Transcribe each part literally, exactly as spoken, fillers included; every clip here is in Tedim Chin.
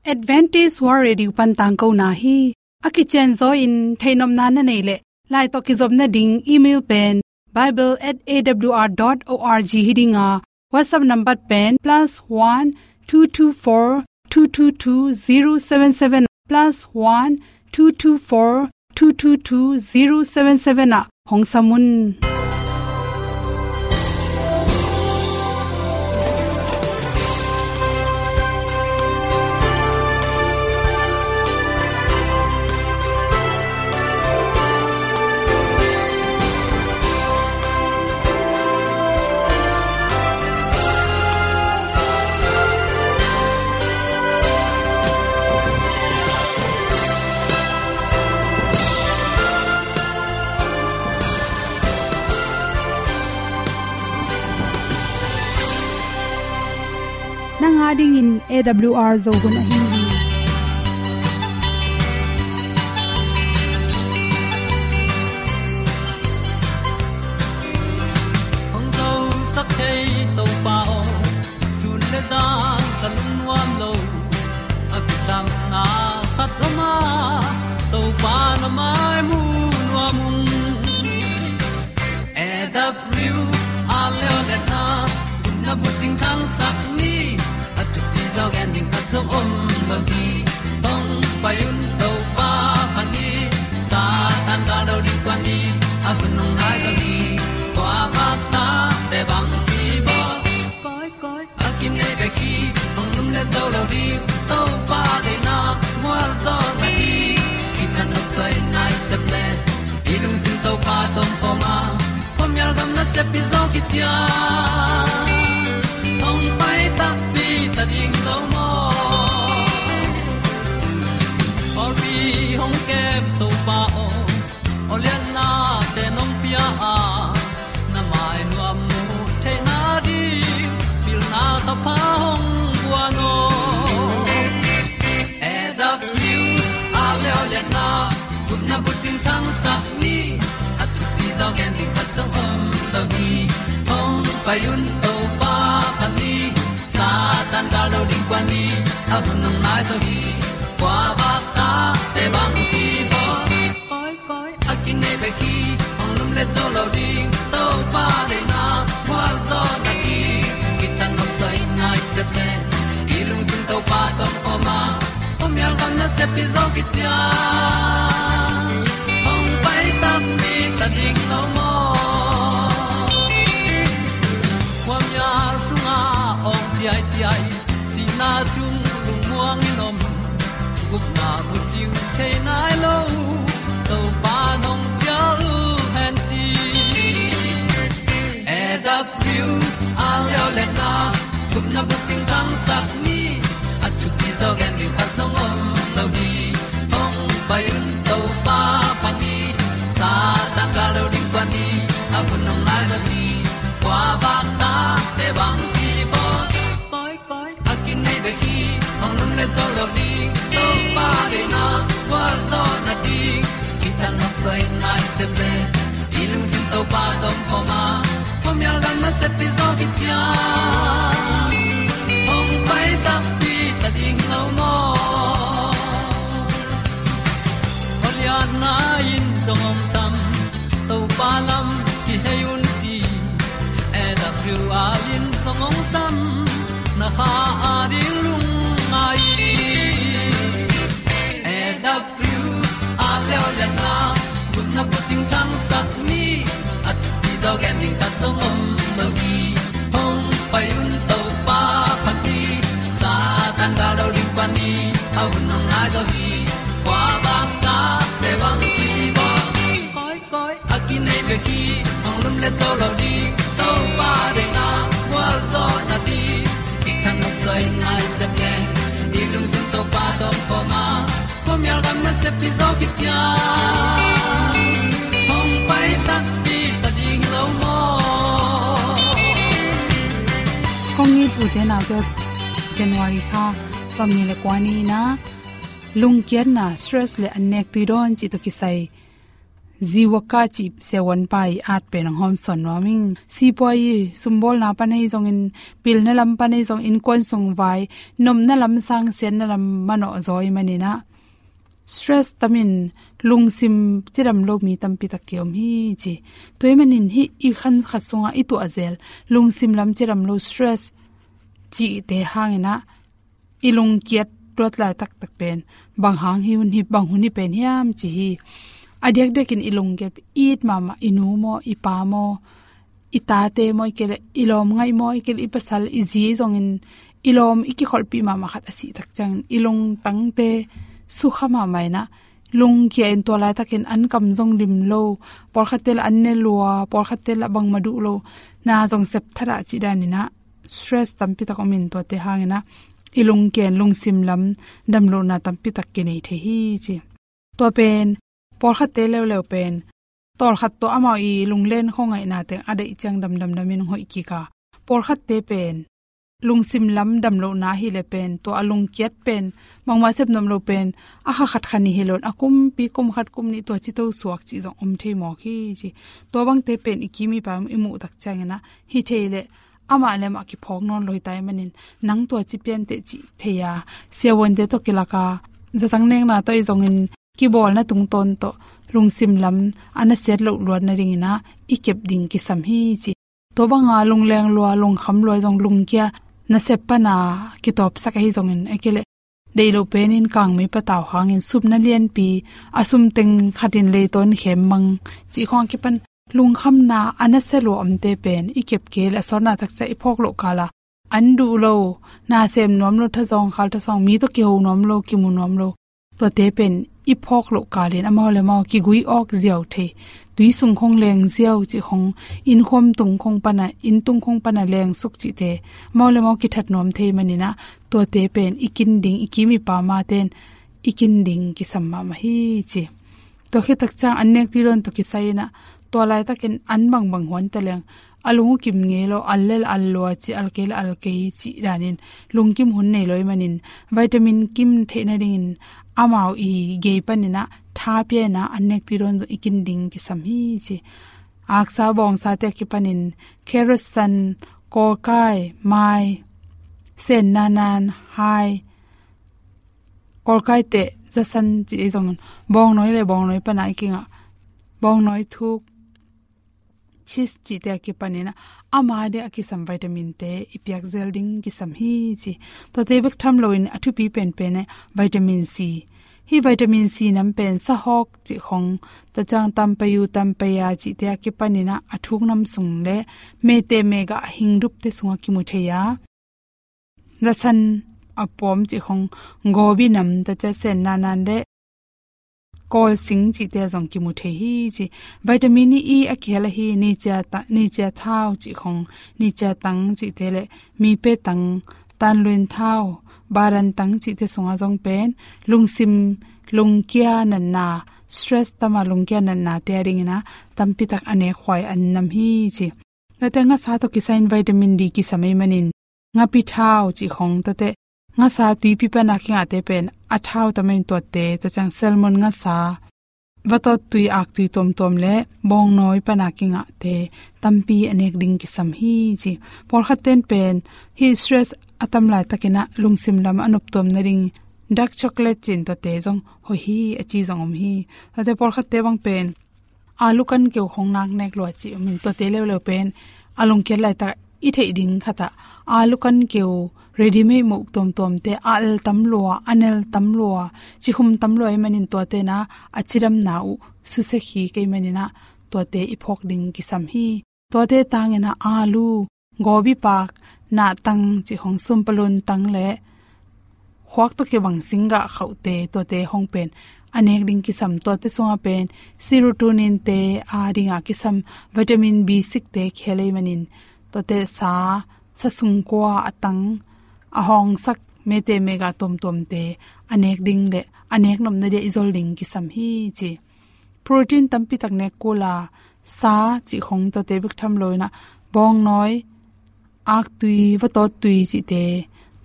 Adventist World Radio pan tangkona hi. A kicianzaw in theihnopna na neih leh, lai tawh kizopna ding email pen bible at A W R dot org hi ding a, WhatsApp number pen plus one two two four two two two zero seven seven, plus one two two four two two two zero seven seven ah hong sam un. Nang a dingin A W R Zo hun ahi hi. Hong zosak thei Topa aw, sun le zan ka lungnuam lo. A kisapna khat om a, Topa na mai mu nuam ung. A W R Leo le na, na bucing thangsak ni, a thupi zaw gen ding khat zong om lo hi. Hong pai un Topa pha ni, Satan gal do ding kua ni, a hun hong nai zaw hi. Kua bak ta te bang hi bawl. Koi, koi, a kinei bek hi, hong lum le zo lo ding, Topa deihna mual zaw na hi. Kithat nop soi nai sep le, i lungsim Topa tawh om khawm a, khuamial gam nasep hi zaw kician. Hong pai takpi ta ding lo maw? Pawlpi hong kem Topa aw, awliatnate nong pia a, na mai nuam mu theihna ding pilna thapha hong guan aw. A W R Leo le na, gupna bucing thangsak ni, a thupi zaw gen ding khat zong om lo hi. Hong pai un Topa pha ni, Satan gal do ding kua ni, a hun hong nai zaw hi. Kua bak ta te bang hi bawl. Koi, koi, a kinei bek hi, hong lum le zo lo ding, Topa deihna mual zaw na hi. Kithat nop soi nai sep le, i lungsim Topa tawh om khawm a, khuamial gam nasep hi zaw kician. Hong pai takpi ta ding lo maw? Khuamial sungah awng ciaiciai, sihna sung lungmuang in om, gupna bucing thei nai lo, Topa nong cial hen ci. A W R Leo le na, gupna bucing thangsak ni, a thupi zaw gen ding khat zong om lo hi. Hong pai un Topa pha ni, Satan gal do ding kua ni, a hun hong nai zaw hi. Kua bak ta te bang hi bawl. Koi, koi, a kinei bek hi, hong lum le zo lo ding, Topa deihna mual zaw na ding. Kithat nop soi nai sep le, i lungsim Topa tawh om khawm a, khuamial gam nasep hi zaw kician. Hong pai takpi ta ding lo maw? Awliatna in zong hong sam, Topa lam kihei un ci. A W R in zong hong sam, na kha a ding lungngai. A W R Leo le na, gupna bucing thangsak ni, a thupi zaw gen ding khat zong om lo hi. Hong pai un Topa pha ni, Satan gal do ding kua ni, a hun hong nai zaw hi. Kua bak ta te bang hi bawl. Koi, koi, a kinei bek hi, hong lum le zo lo ding, Topa deihna mual zaw na ding. Kithat nop soi nai sep le, i lungsim Topa tawh om khawm a, khuamial gam nasep hi zaw kician. Hong pai takpi ta ding lo maw? Kong it u te nau te, January kha sawmnih le kua ni-in ah, lungkiatna, stress le an nek tui dawn cih tawh kisai Ziwaka cih siavuanpa i at pen hong hawmsawn nuam ing. Sipuai i sumbawlna pan ahi zongin, pilna lam pan ahi zongin, innkuan sung vai nopna lam sang siatna lam manawh zaw ahih manin ah, stress tamin lungsim cidam lo mi tampi tak kiom hi ci. Tua ahih manin hih i khan khat sungah i tuah zel lungsim lam cidam lo, stress cihte hangin ah i lungkiat tuat laitak tak pen bang hang hi hun hi, bang hun hi pen hiam ci hi. A diakdiakin i lungkiat, i it mahmah i nu maw, i pa maw, i tate maw, ahih kei leh i lawm ngaih maw, ahih kei leh i pasal, i zi zongin i lawm i kikholhpih mahmah khat a sih tak ciangin i lungtangte sukha mahmah in ah, lungkia in tua laitakin an kam zong lim lo, pawlkhatte lah an ne lua, pawlkhatte lah bangmah duh lo na zong sep thadah cih danin ah, stress tampi tak om in, tuate hangin ah i lungkia in lungsim lam damlohna tampi tak kinei thei hi ci. Tua pen pawlkhatte leuleu pen tawlkhat tawh amau i lunglen khuangaihna teng a deih ciang damdamdam in hong hoih kik a, pawlkhatte pen lungsim lam damlohna ahih leh pen tua a lungkiat pen bangmah sep nuam lo pen a kha khat kha nih hi lo in, a kumpi kum khat kum nih tua cito suak cih zong om thei mawk hi ci. Tua bangte pen i kim i pam i muh tak ciangin ah, hi thei leh amah le amah kiphawk nawn lo hi ta ahih manin, nang tua ci pian teh cih thei a, siavuante tawh kilak a, zatang nekna tawh ahi zongin kibawlna tungtawn tawh lungsim lam a nasiat loh luat nadingin ah i kep ding kisam hi ci. Tua banga lungleng lua, lungkham lua ahi zong, lungkia nasep pana kitawpsak ahi zongin, ahih kei leh deih loh penin kangmei patau hangin supna lianpi, a sum teng khatin leitawn khem mang cih khawng a kipan lungkhamna a nasia lua omte pen i kep kei leh a sawtna tak ciang i phawk loh kal a, an duh lo, na sem nuam lo, thazawng khal thazawng, mi tawh kiho nuam lo, kimu nuam lo, tuate pen i phawk loh kalin amau le amau kigui awk ziau thei, tui sung khawng leng ziau cih khawng, inn khuam tung khawng pana, inn tung khawng pana leng suk cihte amau le amau kithat nuam thei manin ah, tuate pen i kin ding, i kim i pam a ten i kin ding kisam mahmah hi ci. Tua khit tak ciang an nek tui dawn tawh kisai in ah, tua laitakin an bangbang huan ta leng, a lung uh kim ngei lo, al le al lua ci, al kei le al kei cih danin lungkim hun nei lo ahih manin, vitamin kim theih nadingin amau i gei panin ah tha pia in ah an nek tui dawn zong i kin ding kisam hi ci. Aksa bawngsa te a kipanin carrot san, kawlkai, mai, sen nanan, hai, kawlkai teh, zasan cih ahi zongin, bawngnawi le bawngnawi pana i kingah, bawngnawi thuk, cheese cihte a kipanin ah, ama ding a kisam vitamin te i piak zel ding kisam hi ci. Tuate bek tham loin a thupi penpen ah vitamin C. Hih vitamin C nam pen sahawk cih khawng, tua ciang tampayu, tampaya cihte a kipanin ah a thuk nam sung le mete megah hingdupte sungah kimu thei a, zasan a pawm cih khawng, gobi nam, tua ciang sen nanan le kawlsing cihte zong kimu thei hi ci. Vitamin E a kihel ahi nicia ta-, nicia thau cih khawng, nicia tang cihte le mipe tang, tanluin thau, baran tang cihte sungah zong pen lungsim, lungkia natna, stress tama lungkia natnate a dingin ah tampi tak a nekhuai an nam hi ci. Tuate ngasa tawh kisai in vitamin D kisam ahih manin, ngapi thau cih khawng, tuate ngasa tuipi pana kingahte pen a thau tam in, tuate, tua ciang salmon ngasa, vatawt tui, aktui tuamtuam le bawngnawi pana kingahte tampi a nek ding kisam hi ci. Pawlkhat ten pen hih stress a tam laitakin ah lungsim lam a noptuam nading dark chocolate ci-in tuate zong hoih hi a ci zong om hi. Tuate pawlkhatte bang pen alu kan keu khawng nak nek lua ci om in, tuate leuleu pen a lungkiat laitak i theih ding khat ah alu kan keu, ready-made moh tuamtuamte, a al tam lua, a nel tam lua, cikhum tam lua ahih manin tuate in ah a cidamna uh susia kik ahih manin ah tuate i phawk ding kisam hi. Tuate tangin ah alu, gobi pak, nahtang cih khawng, sumpalun tang le khuak tawh kibang singgah khauhte, tuate khawng pen a nek ding kisam. Tuate sungah pen serotonin te a dingah kisam vitamin B six te kihel ahih manin, tuate sa, sa sungkua a tang, a hawngsak mete megah tuamtuamte a nek ding le a nek nopna dia i zol ding kisam hi ci. Protein tampi tak nek kul a, sa cih khawng, tuate bek tham loin ah bawngnawi, aktui, vatawt tui cihte,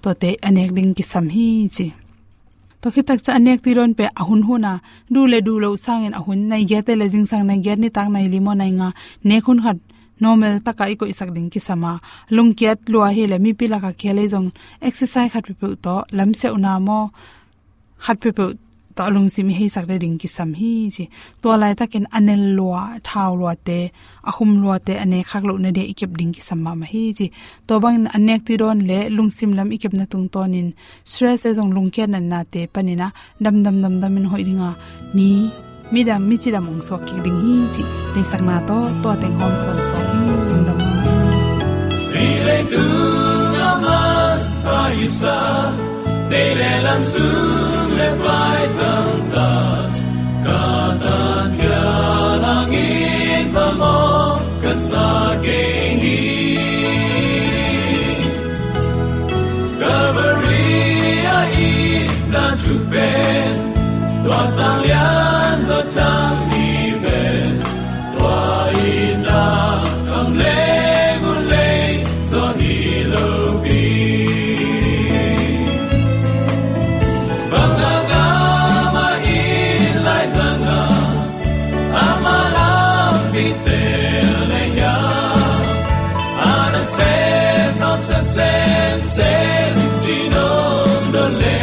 tuate a nek ding kisam hi ci. Tua khit tak ciang a nek tui dawn pen a hun hun a, duh le duh loh sangin a hun nai giat te le zingsang nai giat, nitak nai li maw nai nga, nek hun khat normal taka i koihsak ding kisam a, lungkiat lua hi le mipi laka khel ei zong exercise khat peuhpeuh tawh lamsiauhna maw, khat peuhpeuh tawh a lungsim i heisak le ding kisam hi ci. Tua laitakin a nel lua, thau luate, a hum luate a nek khak loh na dia i kep ding kisam mahmah hi ci. Tua bangin a nek tui dawn le lungsim lam i kepna tungtawnin stress ei zong lungkiat natnate panin a damdam damdamin hoih dinga mi, midam, micidam hong suak kik ding hi ci. Deihsakna tawh tua teng hawm sawnsawn hi. Lungdam. Hih leitung a man pha i sa, nei le lam sung le pai tamtak, ka tan pialang in phamawh ka sa kei hi. Calvary a itna thu pen, tua sang lian zaw thang hi ven, tua itna kam leng uh lei zaw hi lo pi. Bang a ngam a it lai zanga, ama lampi tel na hiam, a nasem nuamsa semsem ci nong dot le.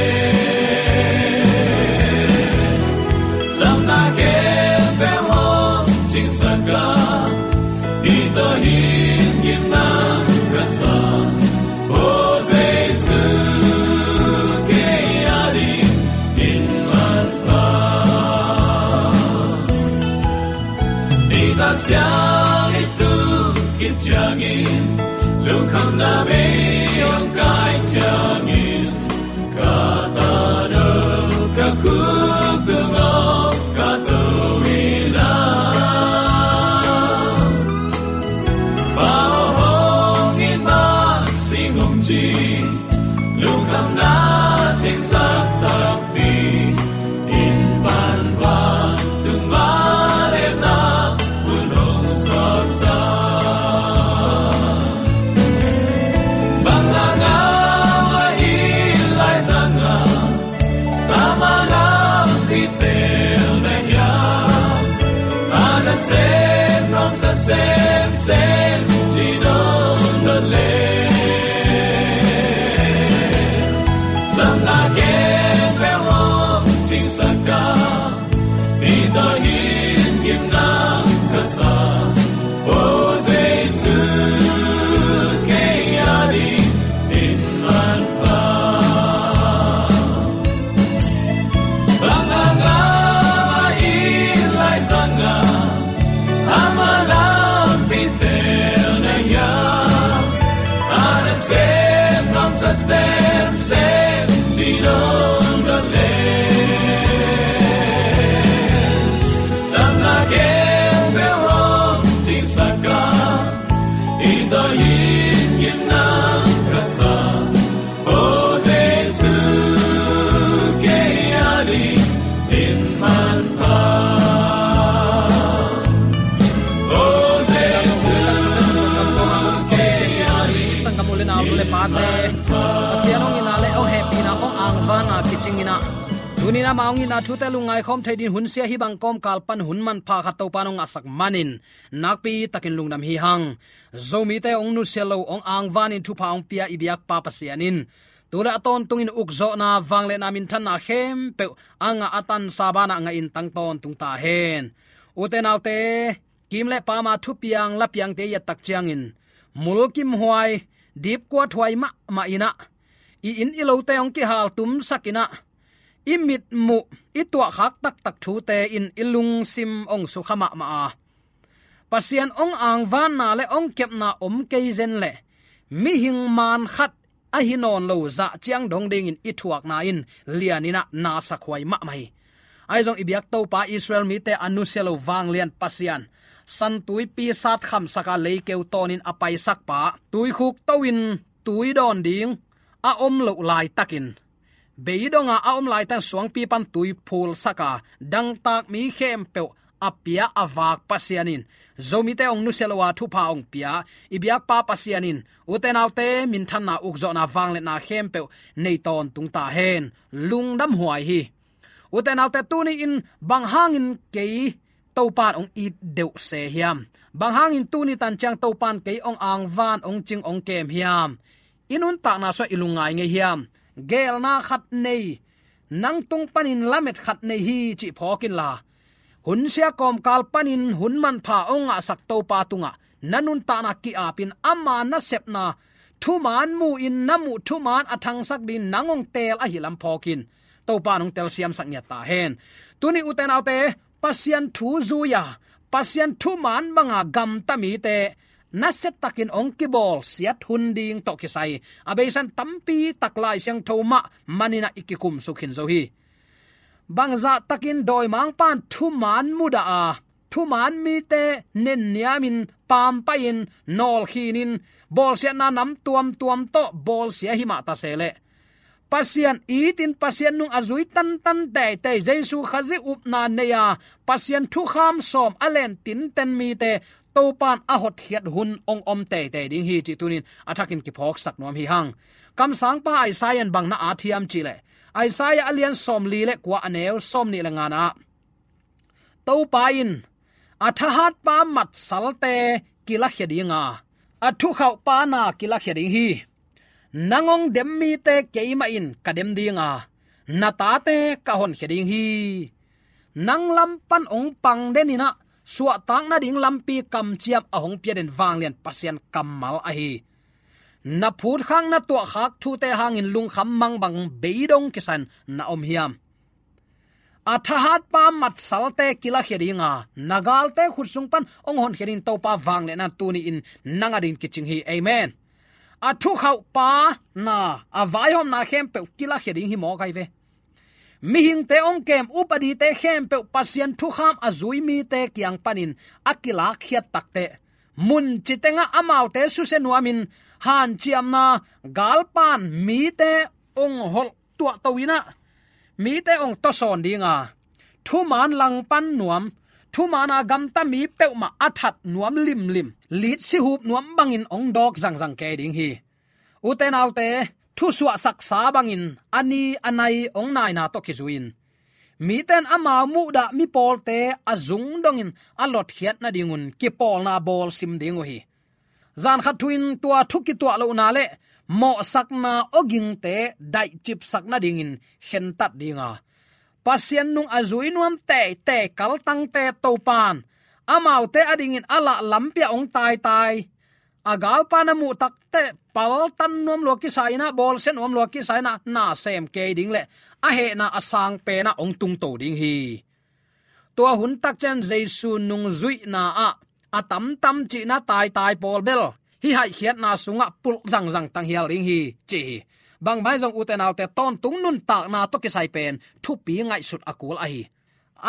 Zamna khempeuh hong cingsak a, hih tawh hin gimna ka sa, aw Jesu, kei a dingin manpha. Nitak siang i tu khit ciangin, lungkhamna mei hong kai ciangin, ka tadau ka khuk tungah ka to in a, Pa aw hong it mah sing hong ci, lungkhamna thengsak takpi, in pan vantung vangliatna mun hong suaksak. Bang a ngam a it lai zanga, ama lampi tel na hiam, a nasem nuamsa semsem ci nong dot le. Zamna khempeuh hong cingsak a, hih tawh hin gimna ka sa, aw Jesu, kei a dingin manpha. Bang a ngam a it lai zanga, ama lampi tel na hiam, a nasem nuamsa semsem ci nong dot le. Zamna khempeuh hong cingsak a, hih tawh hin gimna ka sa, aw Jesu, kei a dingin manpha. Aw Jesu, kei a dingin. Sanggam u le nau, nu le pate, Pasian hong itna le hong hehpihna, hong angvanna kicingin a, tuni-in ama hong itna thute lungngai khawm thei dingin hun sia hih bang kawmkal pan hun manpha khat Topa in hong ngahsak manin nakpi takin lungdam hi hang. Zomite hong nusia lo, hong angvanin thupha hong pia i biakpa Pasian in tu le a tawntungin ukzawhna, vangliatna, minthanna khempeuh a ngah a tansa banah ngahin tang tawntung ta hen. Ute naute, kim le pama thupiang lapiangte i et tak ciangin, mulkimhuai, dipkuathuai mahmah in a, i inn i lote hong kihaltumsak in a, i mitmuh, i tuahkhak taktak thute in i lungsim hong sukha mahmah a, Pasian hong angvanna le hong kepna om kei zen leh mihing man khat ahi nawn lo zah ciang dong dingin i thuakna in lianin a, nasak huai mahmah hi. Ahi zong i biak Topa, Israel mite a nusia lo vanglian Pasian, San Tuipi sat khamsak a leikeu tawnin a paisakpa, tuikhuk to-in tui dawn ding a om loh laitakin, beidonga a om laitak suangpi pan tui phulsak a, dangtak mi khempeuh a pia a vak Pasian in Zomite hong nusia lo a thupha hong pia i biakpa Pasian in ute naute minthanna ukzawhna vangliatna khempeuh nei tawntung ta hen. Lungdam huai hi. Ute naute tuni in bang hangin kei Topan hong it deuh se hiam? Bang hangin tuni tan ciang Topan kei hong angvan hong cing hong kem hiam? I nuntakna sua i lungngai ngei hiam? Geelna khat nei, nang tung panin lamet khat nei hi cih phawk inla, hun sia kawmkal panin hun manpha hong ngahsak Topa tungah na nuntakna ki-apin ama nasepna thuman mu-in na muh thuman a thangsak dingin nang hong teel ahi lam phawkin Topa in hong telsiamsak ngiat ta hen. Tuni ute naute, Pasian thu zui-a Pasian thuman banga gamta mite nasiatakin hong kibawlsiat hun ding tawh kisai a beisa in tampi tak Lai Siangtho mah maninah i kikumsuk khin zo hi. Bangzahtakin dawimangpa in thuman mudah a thuman mite nenniamin pampahin nawlkhinin bawlsiatna nam tuamtuam tawh bawlsia himah ta se leh Pasian itin Pasian nung a zui tantan teitei Jesu Khazih upna nei-a Pasian thukham sawm a len tinten mite Topan a hotkhiat hun hong om teitei ding hi cih tunin a thakin kiphawksak nuam hi hang. Kamsangpa Isaiah in bang na at hiam cihleh Isaiah a lian sawmli le kua a neu sawmnih le ngana ah Topa in a thahatpa matsalte kilakhia dinga a thukhauhpa na kilakhia ding hi. Nang hong dem mite keimah in ka dem dinga na tate ka honkhia ding hi. Nang lam pan hong pang deninah suahtak nading lampi kamciam a hong pia den vanglian Pasian kammal ahi. Na phutkhak na tuahkhak thute hangin lungkham mangbang beidong kisan na om hiam? A thahatpa matsalte kilakhia dinga na galte khut sung pan hong honkhia dingin Topa vangliatna tuni in nang adingin kicing hi. Amen. A thukhauhpa na a vaihawmna khempeuh kilakhia ding hi mawk ahi ve. Mihingte hong kem upadite khempeuh Pasian thukham a zui mite kiang panin a kilakkhiat takteh muncitengah amaute susia nuamin hanciamna galpan mite hong holh tuahto inah mite hong tawsawn dinga thuman langpan nuam, thuman a gamta mi peuhmah a that nuam limlim, lit sihup nuam bangin hong dawk zangzang kei ding hi. Ute naute, thusuahsaksa bangin a ni a nai hong naina tawh kizui-in mite in amau muhdah mipawlte a zung dongin a lotkhiat nadingun kipawlna bawlsim ding uh hi. Zankhat thu-in tua thu kituah lohna le mawhsakna awgingte daihcipsak nadingin khentat dinga Pasian nung a zui nuam teitei kaltangte Topan amaute adingin a lah lampi-ah hong taitai a galpa na muh takteh paltan nuam lua kisa inah bawlsia nuam lua kisa inah na sem kei ding le a hehna a sang penah hong tungto ding hi. Tua hun takciang Jesu nung zuihna ah a tamtam cihna taitai pawl bel hih haihkhiatna sungah pulh zangzang tanghial ding hi ci hi. Bangmah hi zong ute naute, tawntung nuntakna tawh kisai pen thupi ngaihsut a kul ahi.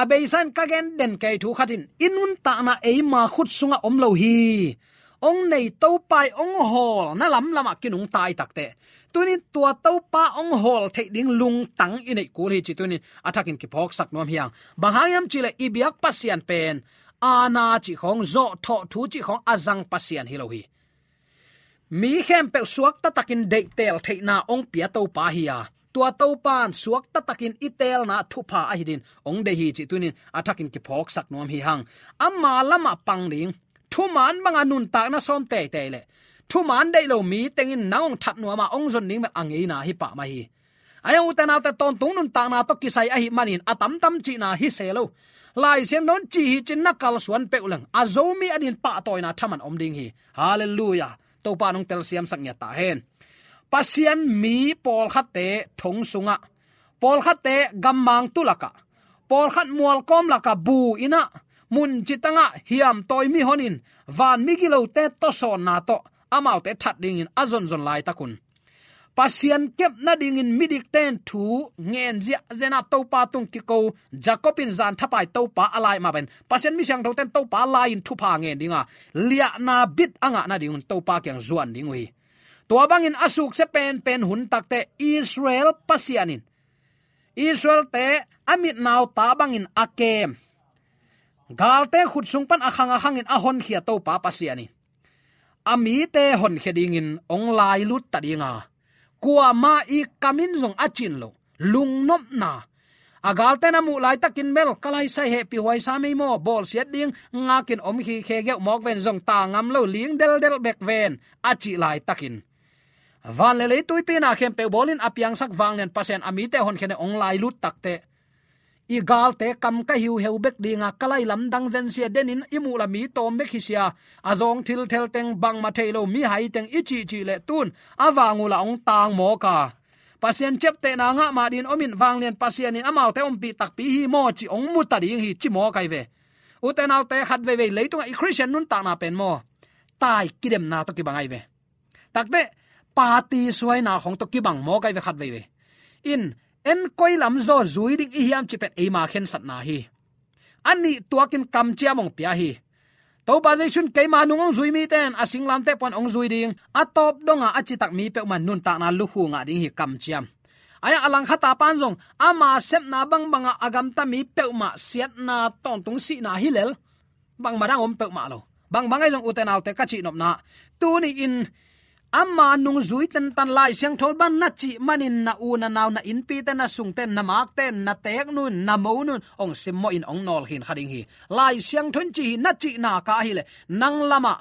A beisa in ka gen den kei thu khat in i nuntakna eima khut sungah om lo hi. Hong nei Topa i hong hawlna lamlamah kinungta i takteh tunin tua Topa hong hawl theih ding lungtang i neih kul hi ci tunin a thakin kiphawksak nuam hi hang. Bang hang hiam cihleh i biak Pasian pen aana cih khawng, zawhthawh thu cih khawng a zang Pasian hi lo hi. Mi khempeuh suakta takin deihteel theihna hong pia Topa hi-a tua Topa in suakta takin i teelna thupha ahi din hong deih hi cih tunin a thakin kiphawksak nuam hi hang. Ama lamah pang ding, thuman banga nuntakna sawm teitei le thuman deih lo mi tengin nang hong that nuama hong zon ding bel a ngeina hi pah mah hi. Ahi hang ute naute, tawntung nuntakna tawh kisai ahi manin a tamtam cihna hi se lo. Lai Siangtho in ci hi cin na kalsuan peuh leng a Zomi adin pahtawina thaman om ding hi. Halleluiah. Topa in hong telsiamsak ngiat ta hen. Pasian mi pawlkhatte thong sungah, pawlkhatte gammang tu lakah, pawlkhat mualkawm lakah bu inah muncitangah hiamtawi mihonin van migilote tawsawnna tawh amaute that dingin a zonzon laitakun Pasian kep nadingin midikte in thu ngen ziahziah inah Topa tung kiko Jacob in zan thapai Topa a lai mah pen Pasian mi siangthote in Topa lai-in thupha ngen dinga liahna bit a ngah nadingun Topa kiang zuan ding uh hi. Tua bangin a suksia penpen hun takteh Israel Pasian in Israelte a mitnauta bangin a kem Galte khut sung pan a khang a khangin a honkhia Topa Pasian in a mite honkhia dingin hong lailut ta ding a, kuamah i kam in zong a cin lo, lungnopna. A galte na muh laitakin bel, ka laisai hehpih huaisa mei maw, bawlsiat ding ngakin om hi khe geuh mawk ven zong ta ngam lo, ling deldel bek ven a cih laitakin, van le lei tuipi na khempeuh bawlin a piangsak vanglian Pasian a mite honkhianin hong lailut takteh, i galte kam ka hiuheu bek dinga, ka lai lamdang zensia denin i muh la mi tawm bek hi sia, a zawng thilthel teng, bangmah thei lo mihai teng i cihcih leh tun a vang uhla hong tang mawk a, Pasian ciaptehna ngah mah dingin om in, vanglian Pasian in amaute ompih takpi hi maw ci hong mu ta ding hi ci mawk ahi ve. Ute naute, khat veivei leitungah i Khristian nuntakna pen maw, tai kidemna tawh kibang ahi ve. Takteh, party suaina khong tawh kibang mawk ahi ve khat veivei. In, en koi lam zaw zui ding i hiam cih pen eima khensatna hi. A nih tuakin kamciam hong pia hi. Topa Jesu in keima nung hong zui mite in a singlamteh pan hong zui ding, a tawp donga a citak mi peuhmah nuntakna lukhu ngah ding hi kamciam. Ahi a langkhata pan zong ama sepna bangbanga a gamta mi peuhmah siatna tawntung sihna hi lel, bangmah dang om peuhmah lo. Bangbang ahi zong ute naute ka cihnopna, tuni-in ama nungzui tentan Lai Siangtho bang na cih manin na u na nau, na innpite, na sungte, na makte, na teknu in, na monu in hong simmawhin hong nawlkhin kha ding hi. Lai Siangtho in ci hi na cihna ka ahileh nang lamah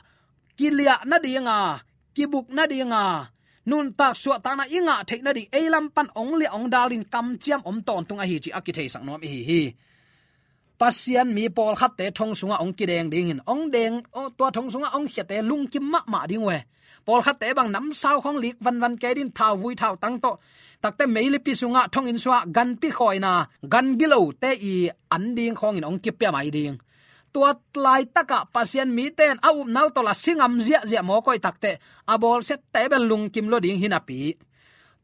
kiliah nadinga, kibuk nadinga, nuntak suahtakna i ngah theih nading ei lam pan hong liah hong dalin kamciam om tawntung ahi cih a kitheisak nuam ihi hi. Pasian mi pawlkhatte thong sungah hong kideng dingin, hong deng, tua thong sungah hong khiate lungkim mahmah ding uh e. Pawlkhatte bang namsau khong lik vanvan kei dingin, thauvui thautang tawh, takteh meilipi sungah thonginn sungah ganpi khawina, gan gilote i an ding khongin hong kipia mai ding. Tua laitakah Pasian mite in a upna uh tawh la si ngam ziahziah mawk uh hi takteh, a bawlsiatte bel lungkim lua ding hi napi,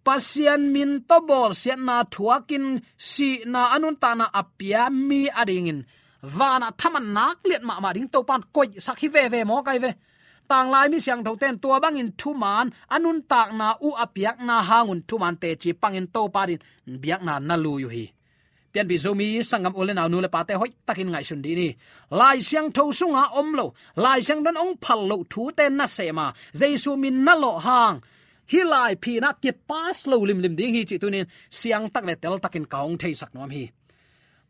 Pasian min tawh bawlsiatna thuakin sihna a nuntakna a pia mi adingin vanah thaman nak liat mahmah ding Topa in koihsak hi veve mawk ahi ve. Tanglai mi siangthote in tua bangin thuman a nuntakna uh a piakna hangun thuman teci pangin Topa adingin biakna na lui uh hi. Pianpih Zomi sanggam u le nau, nu le pate, hoihtakin ngaihsun dih ni. Lai Siangtho sunga om lo, Lai Siangtho in hong phal loh thute na sem a, Jesu min na lawh hang, hih lai phin ah kipas lo limlim ding hi cih tuni-in siangtak le teltakin ka hong theisak nuam hi.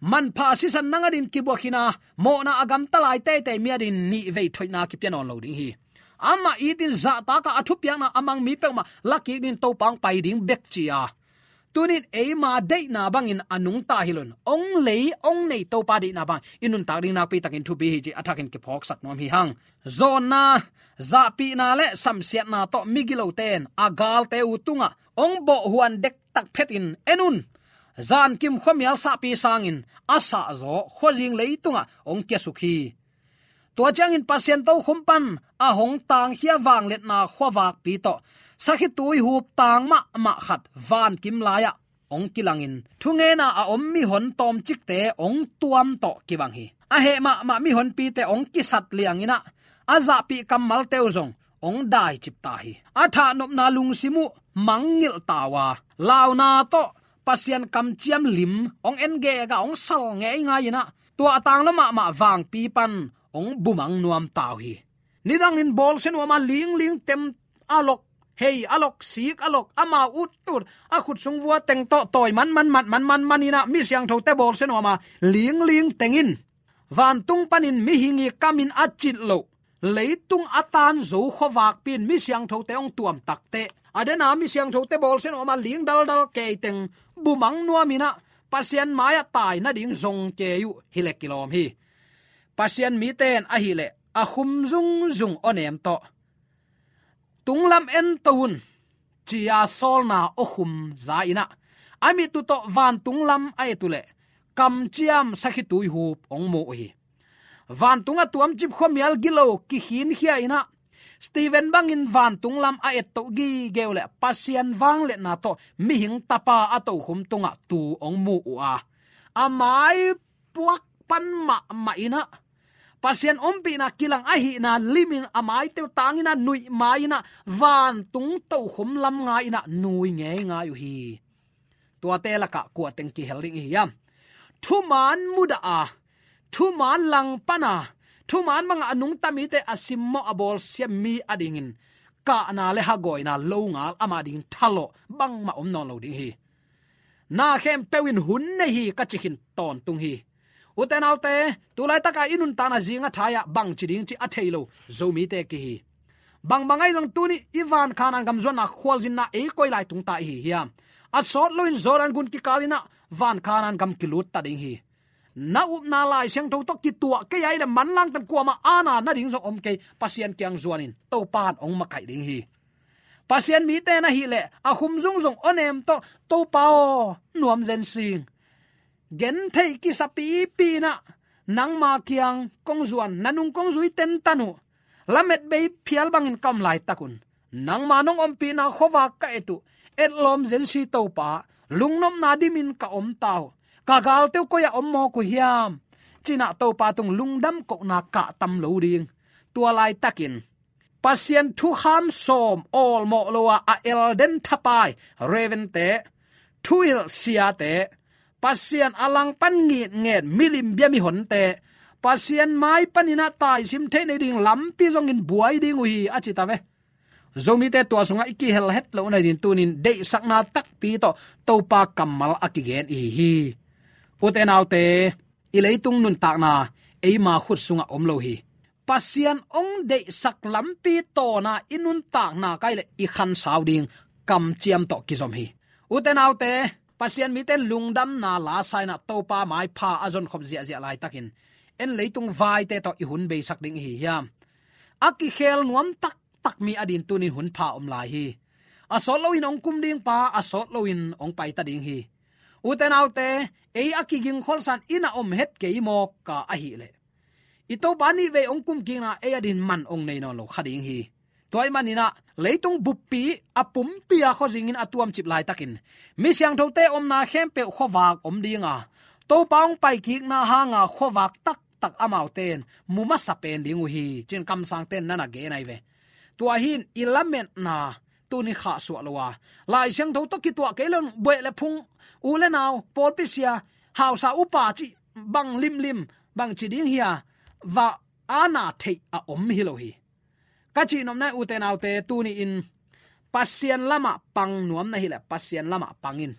Manpha sisan nang adingin kibuak hi-in a, mawhna a gamta lai teitei mi adingin nihvei thoihna kipia nawn lo ding hi. Amah itin zahtakah a thupiakna a mang mi peuhmah lakik dingin Topa hong pai ding bek ci-a, tuni-in eima deihna bangin a nungta hi lo-in, hong lei hong nei Topa deihna bangin i nuntak ding nakpi takin thupi hi cih a thakin kiphawksak nuam hi hang. Zawnna, zahpihna le samsiatna tawh migilote in a galte uh tungah hong bawhhuan dektak phetin, en un, zankim khuamial sahpi sangin a sahzaw khuazing leitungah hong kiasuk hi. Tua ciangin Pasian tokhom pan a hong tangkhia vangliatna khuavakpi tawh sakhituihup tang mahmah khat vankim lai-ah hong kilangin, thungena a om mihon tawmcikte hong tuam tawh kibang hi. A heh mahmah mihonpite hong kisat liangin ah, a zahpih kammalte uh zong hong daicip ta hi. A thahnopna lungsim uh mangngilh ta uh a, launa tawh Pasian kamciam lim hong en gega hong sal ngeingai-in ah, tua a tanglo mahmah vangpi pan hong bumang nuam ta uh hi. Nidangin bawlsia nuam a, lingling tem a lok, hei a lok, sik a lok, amau uttut a khut sung vua teng tawh tawi manman, mat manman in ah, mi siangthote bawlsia nuam a, lingling teng in vantung panin mihing i kamin a cit loh, leitung a tan zo khuavakpi in mi siangthote hong tuam takteh, a dena mi siangthote bawlsia nuam a, ling daldal kei teng bumang nuamin ah, Pasian mai-ah tai nading zong kei uh hi leh kilawm hi. Pasian mite in ahih leh a khum zungzung awnem tawh, tunglam ento un, ci-a sawlna awkhum za-in ah, a mit uh tawh vantung lam a et uh leh kamciam sakhituihup hong mu uh hi. Vantung a tuamcip khuamial gilo kikhinkhia-in ah, Stephen bangin vantung lam a ettoh gige uh leh Pasian vangliatna tawh mihing tapa a tokhom tungah tu hong mu uh a, a mai puak pan mahmah in ah, Pasian ompihna kilang ahihna limin a maite uh tangin ah, nuih mai-in ah, vantung tokhom lam ngai-in ah nui ngeingai uh hi. Tuate lakah kua teng kihel ding i hiam? Thuman mudah a, thuman langpana, thuman banga a nungta mite a simmawh a bawlsia mi adingin kahna le hagawina longal ama ding thalawh bangmah om nawn lo ding hi. Na khempeuh in hun nei hi ka ci khin tawntung hi. Ute naute, tu laitaka i nuntakna zinga thai-ah bangci ding cih a thei lo Zomite kihi. Bangbang ahi zong tuni i van Khanaan gam zuanna khualzinna ei koi lai tungta i hi hiam? A sawt loin Jordan gun kikal inah van Khanaan gam kilut ta ding hi. Na upna Lai Siangtho tawh kituah kei a hih leh manlangtan kuamah aana na ding zong om kei, Pasian kiang zuanin Topa in hong makaih ding hi. Pasian mite na hih leh a khum zungzung awnem tawh, Topa aw, nuam zen sing. Gentheih kisapipi inah nangma kiang kong zuan, na nung kong zui tentan uh. Lamet bei phial bangin ka om laitakun nangma nong ompihna khuavak ka et uh. Etlawm zen si Topa, lungnopna dimin ka om ta uh. Ka galte uh koi-ah om mawk uh hiam? Cinah Topa tung lungdam kohna kahtam lo ding. Tua laitakin Pasian thukham sawm awlmawh lo-a a elden thapai Reverend te, thuhilh siate, Pasian a langpan ngitnget milim bia mihonte, Pasian mai paninah taisim theih nei ding lampi zongin buai ding uh hi a ci ta ve. Zomite tua sungah i kihel het loh nading tunin deihsakna takpi tawh Topa kammal a kigen i hi hi. Ute naute, i leitung nuntakna eima khut sungah om lo hi. Pasian hong deihsak lampi tawna i nuntakna kai le i khansau ding kamciam tawh kizom hi. Ute naute, Pasian mite lungdamna lasa inah Topa maipha a zonkhop ziahziah laitakin en leitung vaite tawh i hun beisak ding i hi hiam? A kikhel nuam taktak mi ading tunin hun pha om lai hi. A sawt loin hong kum ding pa, a sawt loin hong paita ding hi. Ute naute, ei a kigingkholsan inn ah om het kei mawk ka ahih leh i Topa nih vei hong kumkikna ei adin man hong nei nawn lo kha ding hi. Tua ahih maninah leitung buppi a pumpi a khuazingin a tuamcip laitakin mi siangthote omna khempeuh khuavak om dinga, Topa hong paikikna hanga khuavak taktak amaute in mu masa pen ding uh hi, cin kamsangte in na na gen ahi ve. Tua hi-in i lametna tuni khahsuah lo a, Lai Siangtho tawh kituah kei lo-in buaih le phung, u le nau, pawlpi sia, hausa upa cih bang limlim bangci ding hi a, va aana theih a om hi lo hi. Ka cihnopna, ute naute, tuni-in Pasian lamah pang nuam na hih leh Pasian lamah pang in.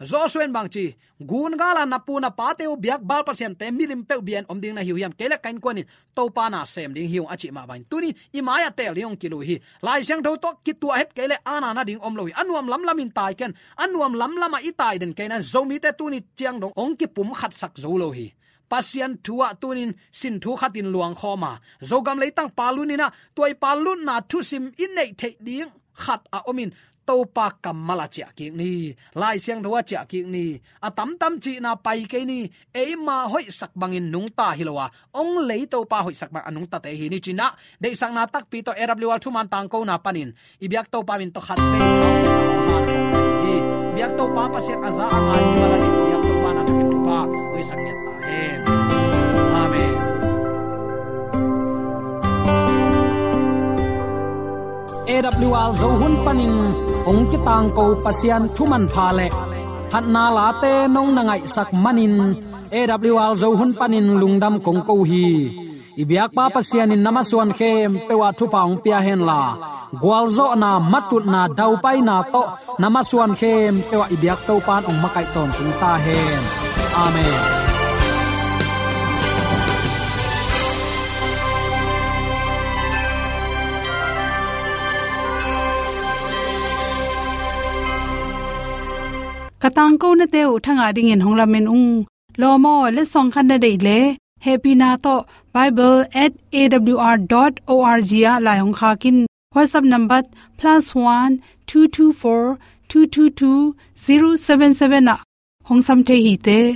Joshua in bangci, gun gala na pu na pate uh biak Baal pasiante milim peuh bia-in om ding na hi uh hiam? Kei le ka innkuan in Topa na sem ding hi ung a cih mah bangin tuni i mai-ah teel ding hong kilui hi. Lai Siangtho tawh kituah het kei le aana na ding om lo hi. A nuam lamlamin tai ken, a nuam lamlamah i tai den kei na, Zomite tuni ciang dong hong kipumkhatsak zo lo hi. Pasian thu ah tunin sin thu khatin luangkhawm a, Zogam leitang paluninah tua i palunna thusim i neih theih ding khat a omin Topa kammal a ciahkik ni, Lai Siangtho a ciahkik ni, a tamtam cihna pai kei ni, eima hoihsak bangin nungta hi lo a, hong lei Topa hoihsak bang a nungtate hi ni cinah, deihsakna takpi tawh A W R thuman tangkona panin i biak Topa min tawh khat vei hi. I biak Topa Pasian a za a ngai hi mah la ding, i biak Topa na thangin thupha hoihsak ngiat ta hen. Amen. A W R Zo hun panin hong kitangko Pasian thu manpha le phatna late nong na ngaihsak manin A W R Zo hun panin lungdam kong ko hi. I biakpa Pasian in na masuan khempeuh ah thupha hong pia henla, gualzawhna, matutna, daupaina tawh na masuan khempeuh ah i biak Topa in hong makaih tawntung ta hen. Amen. Ka tangkonate uh thangah dingin hong lamen ung. Lawm aw, letsong khat na deih leh hehpihna tawh bible at A W R dot O R G ah lai hong khak in. WhatsApp number plus one two two four two two two zero seven seven ah hong sam thei hi te.